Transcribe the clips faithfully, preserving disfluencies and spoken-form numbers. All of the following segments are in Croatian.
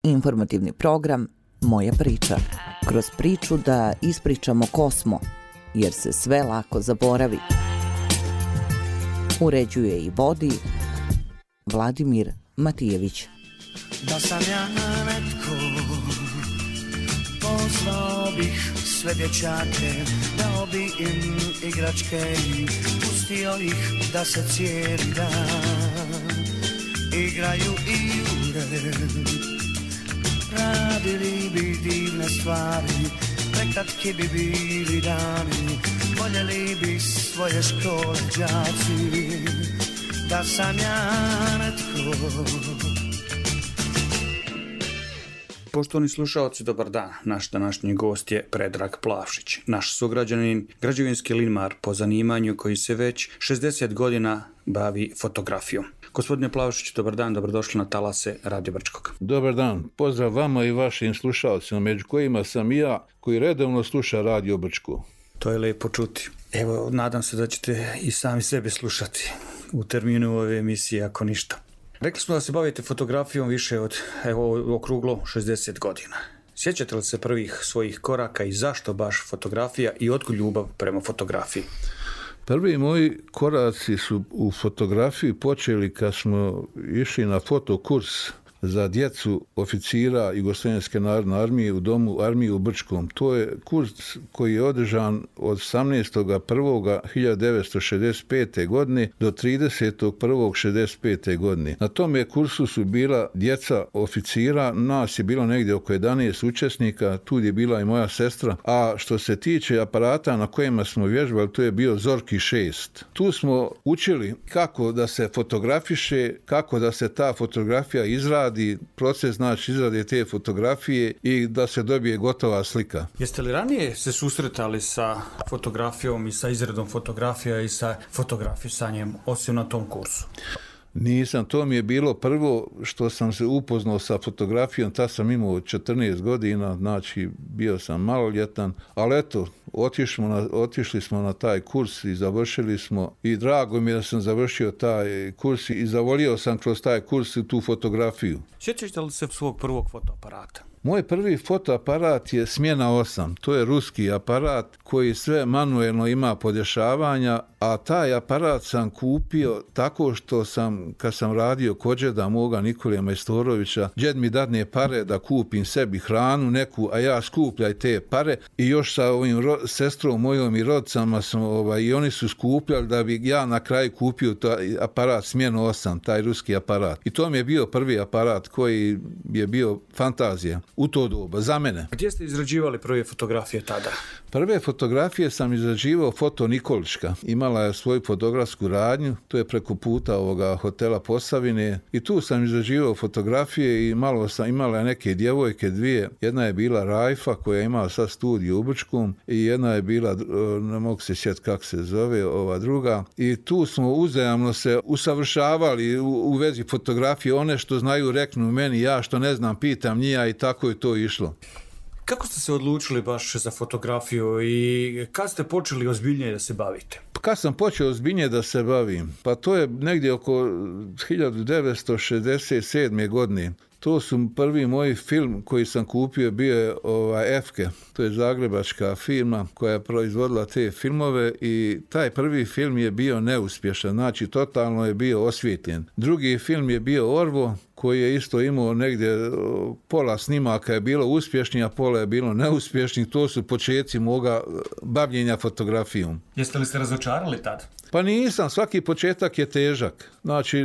Informativni program Moja priča. Kroz priču da ispričamo ko smo, jer se sve lako zaboravi. Uređuje i vodi Vladimir Matijević. Da sam ja netko, pozvao bih sve dječake, dao bi im igračke, pustio ih da se cijeli dan igraju igre. Radili bi divne stvari, prekratki bi bili dani, voljeli bi svoje škole đaci. Da sam ja netko. Poštovani slušalci, dobar dan. Naš današnji gost je Predrag Plavšić, naš sugrađanin, građevinski limar po zanimanju koji se već šezdeset godina bavi fotografijom. Gospodine Plavšić, dobar dan, dobrodošli na talase Radio Brčkog. Dobar dan, pozdrav vama i vašim slušalcima, među kojima sam i ja, koji redovno sluša Radio Brčko. To je lijepo čuti. Evo, nadam se da ćete i sami sebe slušati u terminu ove emisije, ako ništa. Rekli smo da se bavite fotografijom više od, evo, okruglo šezdeset godina. Sjećate li se prvih svojih koraka i zašto baš fotografija i otkud ljubav prema fotografiji? Prvi moji koraci su u fotografiji počeli kad smo išli na fotokurs za djecu oficira Jugoslovenske narodne armije u domu armije u Brčkom. To je kurs koji je održan od osamnaestog prvog hiljadu devetsto šezdeset pete. godine do tridesetog prvog šezdeset pete. godine. Na tom kursu su bila djeca oficira, nas je bilo negdje oko jedanaest učesnika, tu je bila i moja sestra, a što se tiče aparata na kojima smo vježbali, to je bio Zorki šest. Tu smo učili kako da se fotografiše, kako da se ta fotografija izradi, proces znači izrade te fotografije i da se dobije gotova slika. Jeste li ranije se susretali sa fotografijom i sa izradom fotografija i sa fotografisanjem osim na tom kursu? Nisam, to mi je bilo prvo što sam se upoznao sa fotografijom, tad sam imao četrnaest godina, znači bio sam maloljetan, ali eto, otišli, na, otišli smo na taj kurs i završili smo i drago mi je da sam završio taj kurs i zavolio sam kroz taj kurs i tu fotografiju. Sjećate li se svog prvog fotoaparata? Moj prvi fotoaparat je Smjena osam, to je ruski aparat koji sve manuelno ima podešavanja, a taj aparat sam kupio tako što sam, kad sam radio kod džeda moga Nikolija Majstorovića, džed mi dadne pare da kupim sebi hranu neku, a ja skupljaj te pare i još sa ovim ro- sestrom mojom i rodcama sam, ovaj, i oni su skupljali da bi ja na kraju kupio taj aparat Smjena osam, taj ruski aparat. I to mi je bio prvi aparat koji je bio fantazija u to doba, za mene. Gdje ste izrađivali prve fotografije tada? Prve fotografije sam izrađivao Foto Nikolička. Imala je svoju fotografsku radnju, to je preko puta ovoga hotela Posavine i tu sam izrađivao fotografije i malo sam imala neke djevojke dvije. Jedna je bila Rajfa koja je imala sad studiju u Brčkom i jedna je bila, ne mogu se sjetiti kako se zove, ova druga. I tu smo uzajamno se usavršavali u, u vezi fotografije. One što znaju reknu meni, ja što ne znam pitam njija i tako je to išlo. Kako ste se odlučili baš za fotografiju i kad ste počeli ozbiljnije da se bavite? Kad sam počeo ozbiljnije da se bavim? Pa to je negdje oko hiljadu devetsto šezdeset sedme. godine. To su prvi moj film koji sam kupio, bio je ovaj, Efke, to je zagrebačka firma koja je proizvodila te filmove i taj prvi film je bio neuspješan, znači totalno je bio osvijetljen. Drugi film je bio Orvo, koji je isto imao negdje pola snimaka je bilo uspješni, a pola je bilo neuspješni. To su početci moga bavljenja fotografijom. Jeste li se razočarali tad? Pa nisam, svaki početak je težak. Znači,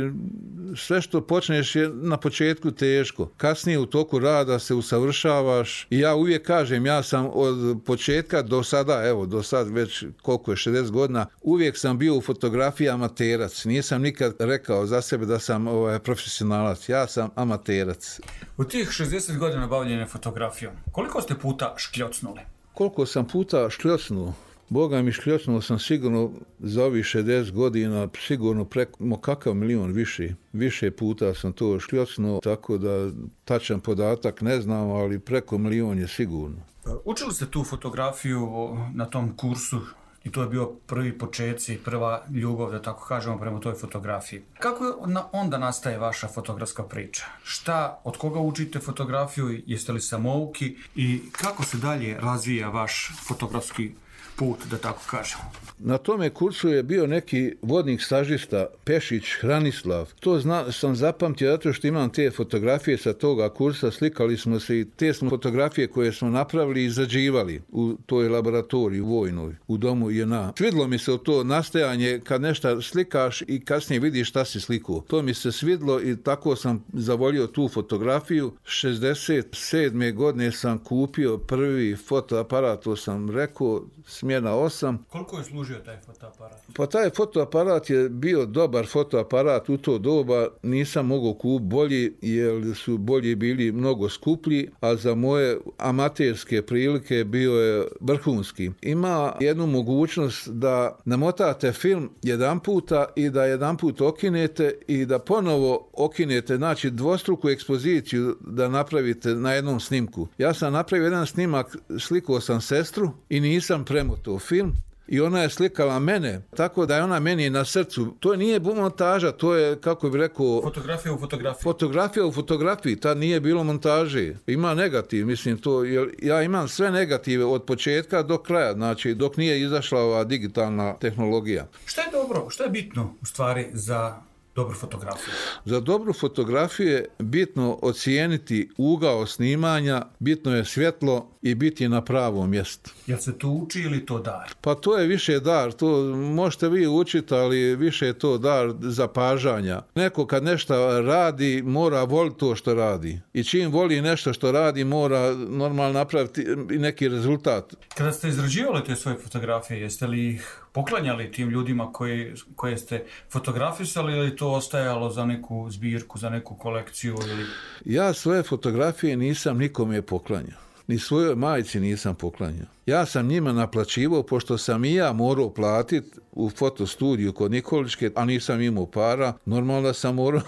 sve što počneš je na početku teško. Kasnije u toku rada se usavršavaš i ja uvijek kažem, ja sam od početka do sada, evo, do sad već koliko je, šezdeset godina, uvijek sam bio u fotografiji amaterac. Nisam nikad rekao za sebe da sam ovaj, profesionalac. Ja sam amaterac. U tih šezdeset godina bavljenja fotografijom, koliko ste puta škljocnuli? Koliko sam puta škljocnuo? Boga mi škljocnuo sam sigurno za ovih šezdeset godina, sigurno preko kakav milion više. Više puta sam to škljocnuo, tako da tačan podatak ne znam, ali preko milion je sigurno. Učili ste tu fotografiju na tom kursu i to je bio prvi početci, prva ljubav, da tako kažemo, prema toj fotografiji. Kako onda nastaje vaša fotografska priča? Šta, od koga učite fotografiju, jeste li samouki i kako se dalje razvija vaš fotografski put, da tako kažemo? Na tome kursu je bio neki vodnik stažista, Pešić Hranislav. To zna, sam zapamtio zato što imam te fotografije sa toga kursa, slikali smo se i te smo fotografije koje smo napravili i izrađivali u toj laboratoriji vojnoj, u domu J N A. Svidlo mi se to nastajanje kad nešto slikaš i kasnije vidiš šta si slikao. To mi se svidlo i tako sam zavolio tu fotografiju. šezdeset sedme godine sam kupio prvi fotoaparat, to sam rekao, smjena osam. Koliko je služio taj fotoaparat? Pa taj fotoaparat je bio dobar fotoaparat u to doba, nisam mogao kupiti bolji jer su bolji bili mnogo skuplji, a za moje amaterske prilike bio je vrhunski. Ima jednu mogućnost da namotate film jedan puta i da jedan put okinete i da ponovo okinete, znači dvostruku ekspoziciju da napravite na jednom snimku. Ja sam napravio jedan snimak, slikao sam sestru i nisam premotao film i ona je slikala mene, tako da je ona meni na srcu. To nije montaža, to je, kako bih rekao... Fotografija u fotografiji. Fotografija u fotografiji, tad nije bilo montaže. Ima negativ, mislim to, jer ja imam sve negative od početka do kraja, znači dok nije izašla ova digitalna tehnologija. Šta je dobro, šta je bitno u stvari za dobru fotografiju? Za dobru fotografiju je bitno ocijeniti ugao snimanja, bitno je svjetlo i biti na pravom mjestu. Jel se to uči ili to dar? Pa to je više dar, to možete vi učiti, ali više je to dar zapažanja. Neko kad nešto radi, mora voliti to što radi. I čim voli nešto što radi, mora normalno napraviti neki rezultat. Kada ste izrađivali te svoje fotografije, jeste li ih poklanjali tim ljudima koji, koje ste fotografisali ili to ostajalo za neku zbirku, za neku kolekciju? Ili... Ja svoje fotografije nisam nikome poklanjao. Ni svojoj majci nisam poklanjao. Ja sam njima naplaćivao, pošto sam i ja morao platiti u fotostudiju kod Nikoličke, a nisam imao para, normalno sam morao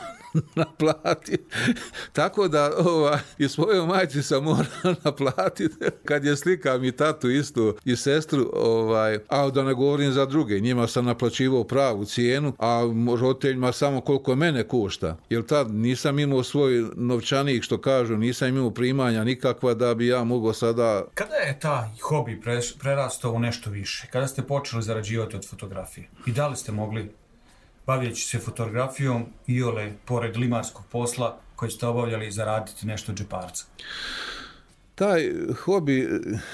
naplatiti. Tako da ova, i svojoj majci sam morao naplatiti kad je slikam i tatu isto i sestru, ovaj, a da ne govorim za druge. Njima sam naplaćivao pravu cijenu, a roditeljima samo koliko mene košta. Jer tad nisam imao svoj novčanik, što kažu, nisam imao primanja nikakva da bi ja mogao sada... Kada je taj hobi prerastao u nešto više? Kada ste počeli zarađivati od fotografije? I da li ste mogli, bavljajući se fotografijom, iole, pored limarskog posla koji ste obavljali, zaraditi nešto od džeparca? Taj hobi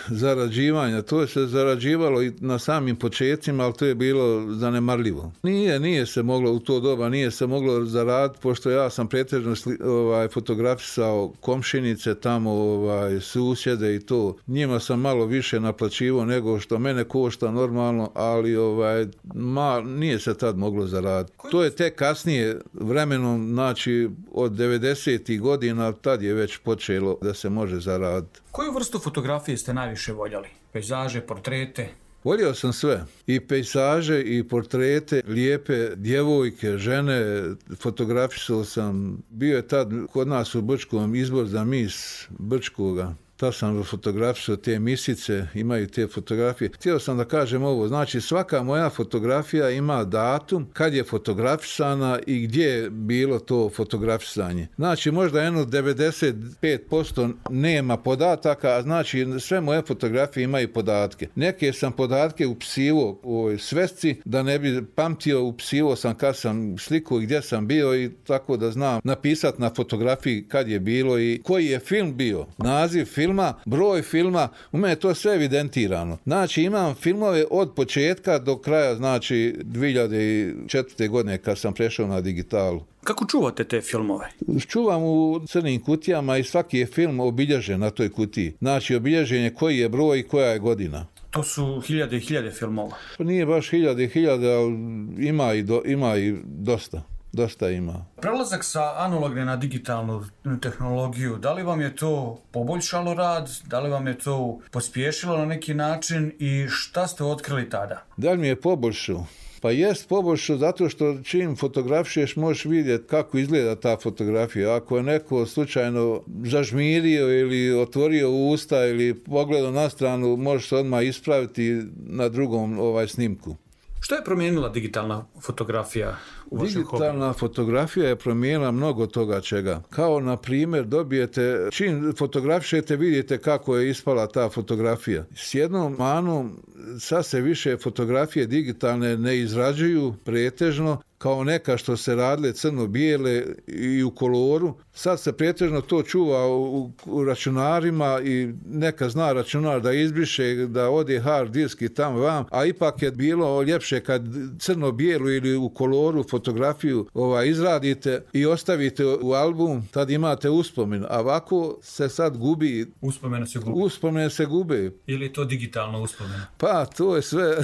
zarađivanja, to je se zarađivalo i na samim početcima, ali to je bilo zanemarljivo. Nije, nije se moglo u to doba, nije se moglo zaraditi, pošto ja sam pretežno ovaj, fotografisao komšinice, tamo ovaj, susjede i to. Njima sam malo više naplaćivao nego što mene košta normalno, ali ovaj, ma, nije se tad moglo zaraditi. To je tek kasnije vremenom, znači od devedesetih godina, tad je već počelo da se može zaraditi. Koju vrstu fotografije ste najviše voljeli? Pejzaže, portrete? Volio sam sve. I pejzaže, i portrete, lijepe djevojke, žene. Fotografisao sam. Bio je tad kod nas u Brčkom izbor za mis Brčkoga. Tad sam fotografisao te misice, imaju te fotografije. Htio sam da kažem ovo, znači svaka moja fotografija ima datum kad je fotografisana i gdje je bilo to fotografisanje. Znači možda jedno devedeset pet posto nema podataka, a znači sve moje fotografije imaju podatke. Neke sam podatke upisivo u ovoj svesci, da ne bi pamtio, upisivo sam kad sam slikao i gdje sam bio i tako da znam napisati na fotografiji kad je bilo i koji je film bio. Naziv filma, filma, broj filma, u mene je to sve evidentirano. Znači imam filmove od početka do kraja, znači dvije hiljade četvrte godine kad sam prešao na digitalu. Kako čuvate te filmove? Čuvam u crnim kutijama i svaki je film obilježen na toj kutiji. Znači obilježen je koji je broj i koja je godina. To su hiljade i hiljade filmova. To nije baš hiljade i hiljade, ali ima i, do, ima i dosta. Dosta ima. Prelazak sa analogne na digitalnu tehnologiju, da li vam je to poboljšalo rad, da li vam je to pospješilo na neki način i šta ste otkrili tada? Da li mi je poboljšalo? Pa jest poboljšao zato što čim fotografišeš možeš vidjeti kako izgleda ta fotografija. Ako je neko slučajno zažmirio ili otvorio usta ili pogledao na stranu, možeš se odmah ispraviti na drugom ovaj snimku. Što je promijenila digitalna fotografija u vašem hobiju? Digitalna fotografija je promijenila mnogo toga čega. Kao, na primjer, dobijete, čim fotografišete, vidite kako je ispala ta fotografija. S jednom manom, sad se više fotografije digitalne ne izrađuju pretežno, kao neka što se radile crno-bijele i u koloru. Sad se pretežno to čuva u, u računarima i neka zna računar da izbriše, da ode hard disk i tam vam, a ipak je bilo ljepše kad crno-bijelu ili u koloru fotografiju ovaj, izradite i ostavite u album, tad imate uspomen. A ovako se sad gubi. Uspomene se gube. Uspomene se gube. Ili je to digitalno uspomena? Pa, to je sve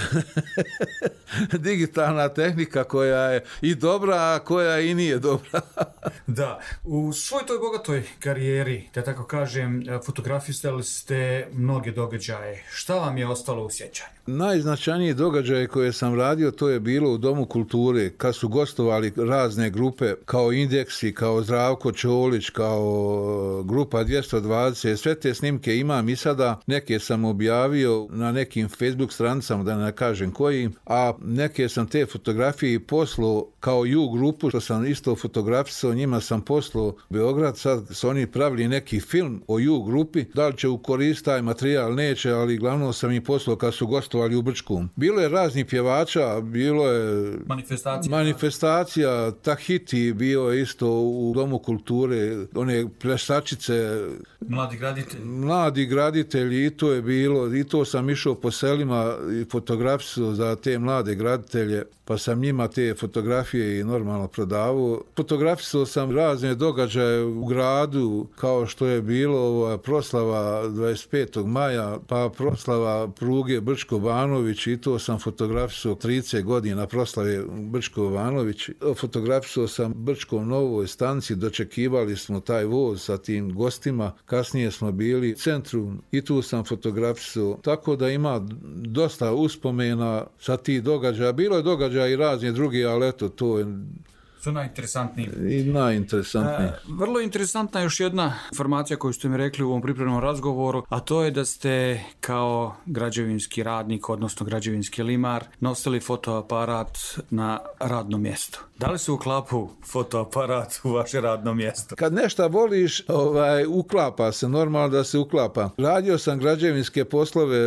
digitalna tehnika koja je i dobra, a koja i nije dobra. Da, u svoj toj bogatoj karijeri, da tako kažem, fotografisali ste mnoge događaje. Šta vam je ostalo u sjećanju? Najznačajniji događaj koje sam radio, to je bilo u Domu kulture, kad su gostovali razne grupe, kao Indeksi, kao Zdravko Čolić, kao Grupa dvjesto dvadeset. Sve te snimke imam i sada, neke sam objavio na nekim Facebook stranicama, da ne kažem kojim, a neke sam te fotografije i poslao kao U grupu, što sam isto fotografisao, njima sam poslao Beograd, sad su oni pravili neki film o U grupi, da li će u korist taj materijal, neće, ali glavno sam im poslao kad su gostovali u Brčkom. Bilo je raznih pjevača, bilo je manifestacija, manifestacija Tahiti, bio je isto u Domu kulture, one plesačice, mladi graditelji. Mladi graditelji, i to je bilo, i to sam išao po selima i fotografisao za te mlade graditelje, pa sam njima te fotografije i normalno prodavao. Fotografisao sam razne događaje u gradu, kao što je bilo proslava dvadeset petog maja, pa proslava pruge Brčko-Banović, i to sam fotografisao trideset godina proslave Brčko-Banović. Fotografisao sam Brčkom Novoj stanci, dočekivali smo taj voz sa tim gostima, kasnije smo bili u centru i tu sam fotografisao, tako da ima dosta uspomena sa tih događaja. Bilo je događaja i razne druge, ali eto, to je su najinteresantniji. I najinteresantniji. E, vrlo interesantna još jedna informacija koju ste mi rekli u ovom pripremnom razgovoru, a to je da ste kao građevinski radnik, odnosno građevinski limar, nosili fotoaparat na radno mjesto. Da li se uklapa fotoaparat u vaše radno mjesto? Kad nešto voliš, ovaj, uklapa se, normalno da se uklapa. Radio sam građevinske poslove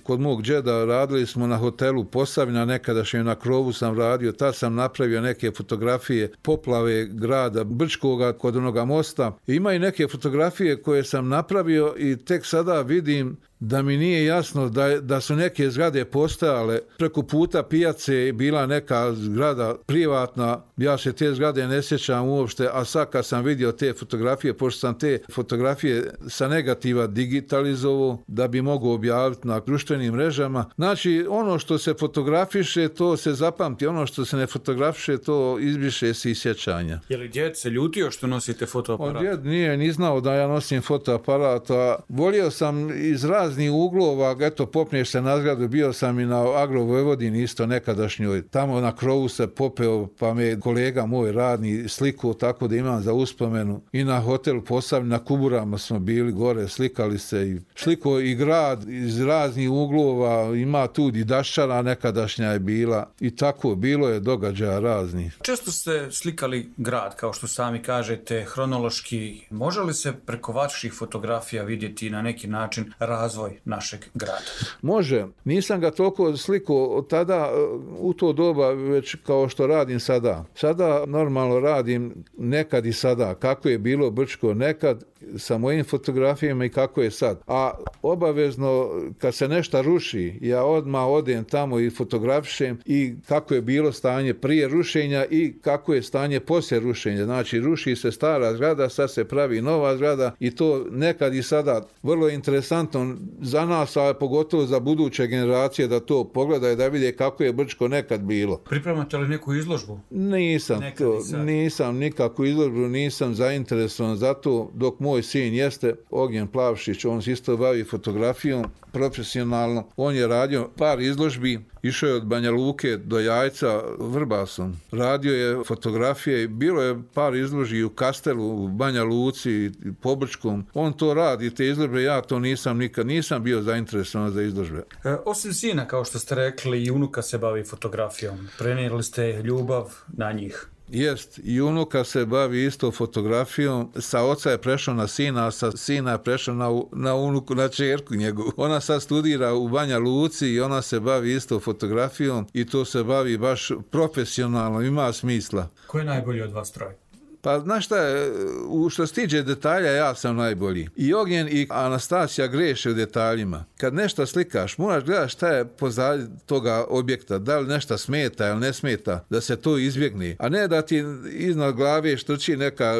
kod mog džeda, radili smo na hotelu Posavina, nekadašnje na krovu sam radio, tad sam napravio neke fotografije poplave grada Brčkoga kod onoga mosta. Ima i neke fotografije koje sam napravio i tek sada vidim da mi nije jasno da, da su neke zgrade postojale. Preko puta pijace je bila neka zgrada privatna, ja se te zgrade ne sjećam uopšte, a sad kad sam vidio te fotografije, pošto sam te fotografije sa negativa digitalizovao da bi mogao objaviti na društvenim mrežama. Znači, ono što se fotografiše, to se zapamti, ono što se ne fotografiše, to izbriše se iz sjećanja. Je li djed se ljutio što nosite fotoaparat? On djed nije ni znao da ja nosim fotoaparat, a volio sam iz raznih uglova, eto, popneš se na zgradu, bio sam i na Agro Vojvodini isto nekadašnjoj, tamo na krovu se popeo, pa me kolega moj radni sliku, tako da imam za uspomenu, i na hotelu Posavina, na Kuburama smo bili gore, slikali se i sliko i grad iz raznih uglova, ima tu i Daščara nekadašnja je bila i tako, bilo je događaja razni. Često ste slikali grad, kao što sami kažete, hronološki. Može li se preko vaših fotografija vidjeti na neki način razvoj našeg grada? Može. Nisam ga toliko slikao od tada u to doba već kao što radim sada. Sada normalno radim nekad i sada. Kako je bilo Brčko nekad sa mojim fotografijama i kako je sad. A obavezno kad se nešto ruši, ja odmah odem tamo i fotografišem i kako je bilo stanje prije rušenja i kako je stanje poslije rušenja. Znači, ruši se stara zgrada, sad se pravi nova zgrada i to nekad i sada. Vrlo je interesantno za nas, a pogotovo za buduće generacije da to pogledaju, da vide kako je Brčko nekad bilo. Pripremate li neku izložbu? Nisam, to, nisam nikakvu izložbu, nisam zainteresovan za to, dok moj sin jeste Ognjen Plavšić, on se isto bavi fotografijom profesionalno, on je radio par izložbi, Išao je od Banja Luke do Jajca Vrbasom. Radio je fotografije, bilo je par izložbi u Kastelu, u Banja Luci, Pobrčkom. On to radi, te izložbe, ja to nisam nikad, nisam bio zainteresovan za izložbe. E, osim sina, kao što ste rekli, i unuka se bavi fotografijom. Prenijeli ste ljubav na njih. Jest, i unuka se bavi isto fotografijom, sa oca je prešao na sina, a sa sina je prešao na, na unuku, na čerku njegovu. Ona sad studira u Banja Luci i ona se bavi isto fotografijom i to se bavi baš profesionalno, ima smisla. Ko je najbolji od vas troje? Pa znaš šta je, u što se tiče detalja ja sam najbolji. I Ognjen i Anastasija greše u detaljima. Kad nešto slikaš, moraš gledati šta je pozadnje toga objekta, da li nešto smeta ili ne smeta, da se to izbjegne. A ne da ti iznad glave štrči neka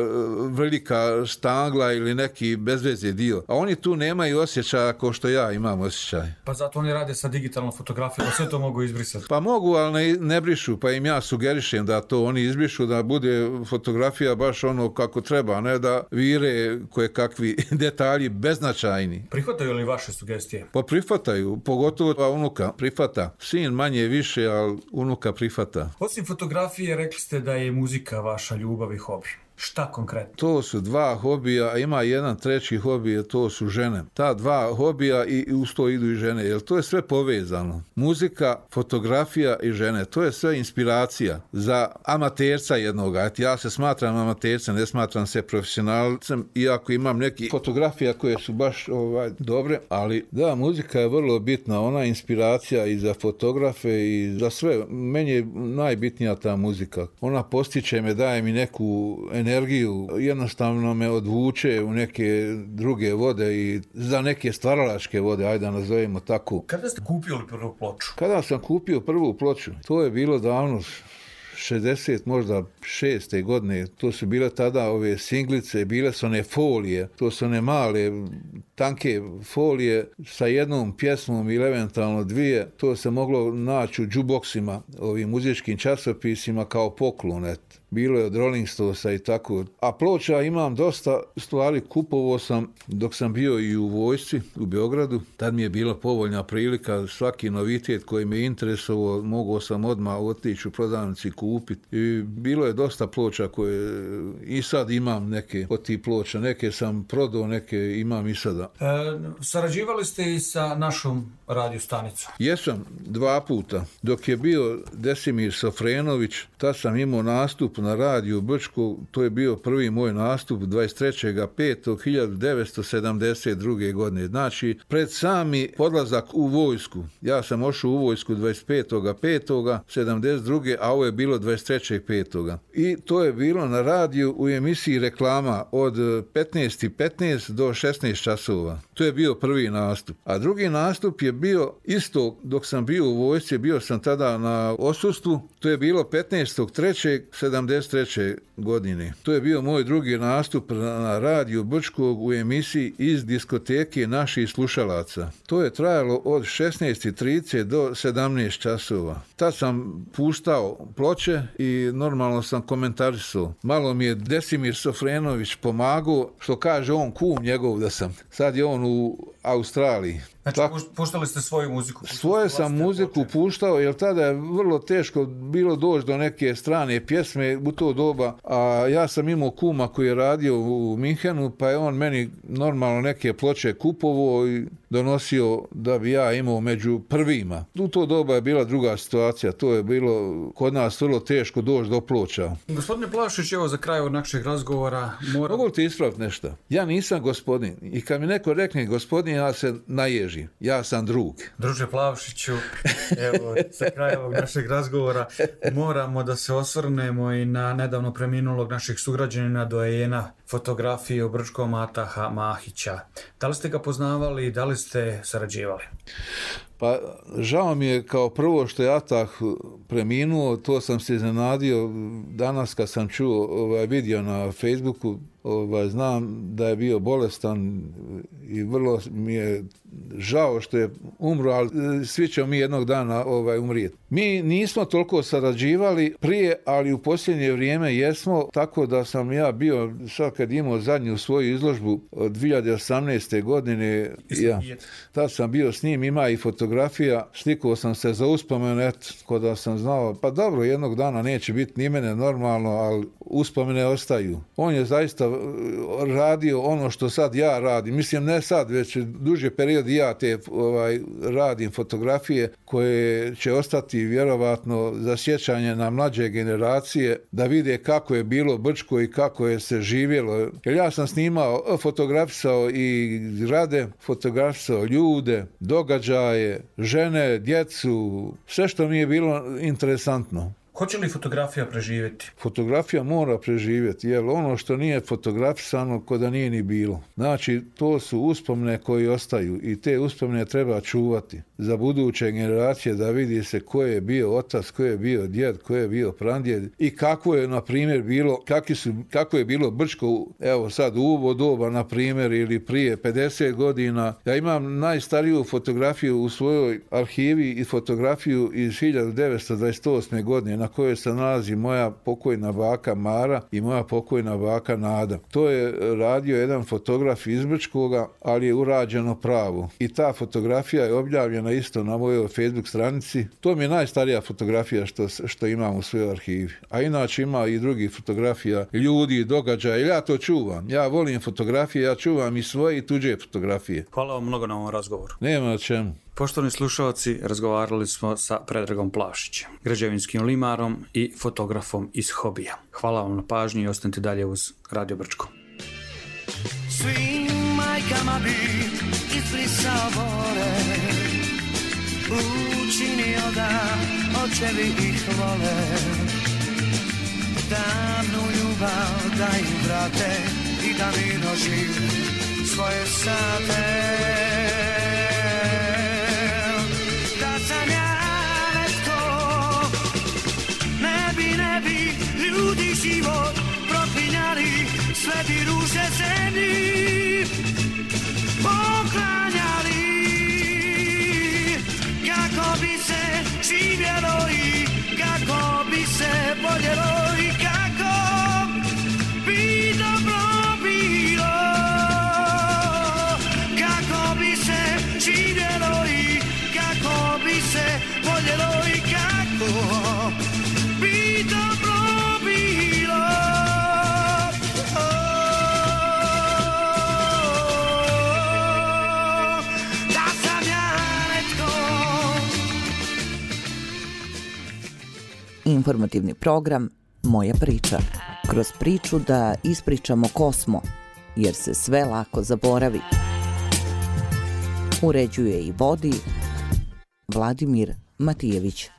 velika štangla ili neki bezveze dio. A oni tu nemaju osjećaja kao što ja imam osjećaj. Pa zato oni rade sa digitalnom fotografijom, sve to mogu izbrisati. Pa mogu, ali ne, ne brišu, pa im ja sugerišem da to oni izbrišu, da bude fotografija baš ono kako treba, ne da vire koje kakvi detalji beznačajni. Prihvataju li vaše sugestije? Pa prihvataju, pogotovo unuka prihvata. Sin manje više, ali unuka prihvata. Osim fotografije, rekli ste da je muzika vaša ljubav i hobi. Šta konkretno? To su dva hobija, a ima jedan treći hobij, to su žene. Ta dva hobija i uz to idu i žene, jer to je sve povezano. Muzika, fotografija i žene, to je sve inspiracija za amaterca jednoga. Ja se smatram amatercem, ne smatram se profesionalcem, iako imam neki fotografija koje su baš ovaj, dobre, ali da, muzika je vrlo bitna, ona je inspiracija i za fotografe i za sve. Meni je najbitnija ta muzika. Ona postiče me, daje mi neku energiju, energiju, jednostavno me odvuče u neke druge vode i za neke stvaralačke vode, ajde da nazovemo tako. Kada ste kupili prvu ploču? Kada sam kupio prvu ploču, to je bilo davno, šezdeset možda šeste godine, to su bile tada ove singlice, bile su one folije, to su one male, tanke folije sa jednom pjesmom ili eventualno dvije, to se moglo naći u džuboksima, ovim muzičkim časopisima kao poklon, et. Bilo je od Rolling Stonesa i tako. A ploča imam dosta stvari, kupovao sam dok sam bio i u vojsci u Beogradu. Tad mi je bila povoljna prilika, svaki novitet koji me interesovao, mogao sam odmah otići u prodavnici i kupiti. I bilo je dosta ploča koje i sad imam neke od tih ploča. Neke sam prodao, neke imam i sada. E, sarađivali ste i sa našom radio stanicom? Jesam, dva puta. Dok je bio Desimir Sofrenović, tad sam imao nastup na radiju Brčko, to je bio prvi moj nastup dvadeset trećeg petog hiljadu devetsto sedamdeset druge godine. Znači, pred sami podlazak u vojsku. Ja sam ošao u vojsku dvadeset petog petog sedamdeset druge a ovo je bilo dvadeset trećeg petog I to je bilo na radiju u emisiji reklama od petnaest i petnaest do šesnaest časova. To je bio prvi nastup. A drugi nastup je bio isto dok sam bio u vojsci, bio sam tada na odsustvu, to je bilo petnaestog trećeg sedamdeset treće godine. To je bio moj drugi nastup na radiju Brčkog u emisiji Iz diskoteke naših slušalaca. To je trajalo od šesnaest i trideset do sedamnaest časova. Tad sam puštao ploče i normalno sam komentarisao. Malo mi je Desimir Sofrenović pomagao, što kaže on kum njegov da sam. Sad je on u Australiji. Znači, tak, puštali ste svoju muziku? Svoje sam muziku ploče. puštao, jer tada je vrlo teško bilo doći do neke strane pjesme u to doba, a ja sam imao kuma koji je radio u Minhenu, pa je on meni normalno neke ploče kupovao i donosio da bi ja imao među prvima. U to doba je bila druga situacija, to je bilo kod nas vrlo teško doći do ploča. Gospodine Plavšić, evo za kraj od našeg razgovora moram... Mogu ti ispraviti nešto? Ja nisam gospodin i kad mi neko rekne gospodin, ja se naježim. Ja sam drug. Druže Plavšiću, evo, za kraj ovog našeg razgovora moramo da se osvrnemo i na nedavno preminulog našeg sugrađanina doajena fotografije u Brčkom Ataha Mahića. Da li ste ga poznavali i da li ste sarađivali? Pa žao mi je kao prvo što je Atah preminuo, to sam se iznenadio danas kad sam čuo, ovaj, vidio na Facebooku, ovaj, znam da je bio bolestan i vrlo mi je žao što je umro, ali svi ćemo mi jednog dana ovaj, umrijeti. Mi nismo toliko sarađivali prije, ali u posljednje vrijeme jesmo, tako da sam ja bio, sad kad imao zadnju svoju izložbu od dvije hiljade osamnaeste godine, ja, tad sam bio s njim, ima i fotografiju fotografija, slikao sam se za uspomenu, eto, kod da sam znao, pa dobro, jednog dana neće biti ni mene normalno, ali uspomene ostaju. On je zaista radio ono što sad ja radim, mislim ne sad, već duže period ja te ovaj, radim fotografije koje će ostati vjerovatno za sjećanje na mlađe generacije, da vide kako je bilo Brčko i kako je se živjelo. Jer ja sam snimao, fotografisao i zgrade, fotografisao ljude, događaje, žene, djecu, sve što mi je bilo interesantno. Hoće li fotografija preživjeti? Fotografija mora preživjeti, jer ono što nije fotografisano ko da nije ni bilo. Znači, to su uspomene koji ostaju i te uspomene treba čuvati za buduće generacije, da vidi se ko je bio otac, ko je bio djed, ko je bio prandjed i kako je, na primjer, bilo, kakvi su, kako je bilo Brčko, evo sad u ovo doba, na primjer, ili prije pedeset godina. Ja imam najstariju fotografiju u svojoj arhivi i fotografiju iz hiljadu devetsto dvadeset osme godine, na kojoj se nalazi moja pokojna baka Mara i moja pokojna baka Nada. To je radio jedan fotograf iz Brčkoga, ali je urađeno pravo. I ta fotografija je objavljena isto na mojoj Facebook stranici. To mi je najstarija fotografija što, što imam u svojoj arhivi. A inače ima i drugih fotografija, ljudi, događaja. Ja to čuvam. Ja volim fotografije, ja čuvam i svoje i tuđe fotografije. Hvala vam mnogo na ovom razgovoru. Nema na čemu. Poštovani slušalci, razgovarali smo sa Predragom Plašićem, građevinskim limarom i fotografom iz hobija. Hvala vam na pažnji i ostanite dalje uz Radio Brčko. Svim majkama bi izbrisao bore, učinio da očevi ih vole, davnu ljubav da im vrate i da mirno žive svoje sate. Da sam ja netko, ne bi, ne bi ljudi život proklinjali, sve bi ruže zemlji poklanjali. Kako bi se živjelo i kako bi se voljelo i kako bi dobro bilo. Kako bi se živjelo i kako bi se voljelo i kako bi dobro bilo. Da sam ja netko. Informativni program Moja priča. Kroz priču da ispričamo ko smo, jer se sve lako zaboravi. Uređuje i vodi Vladimir Matijević.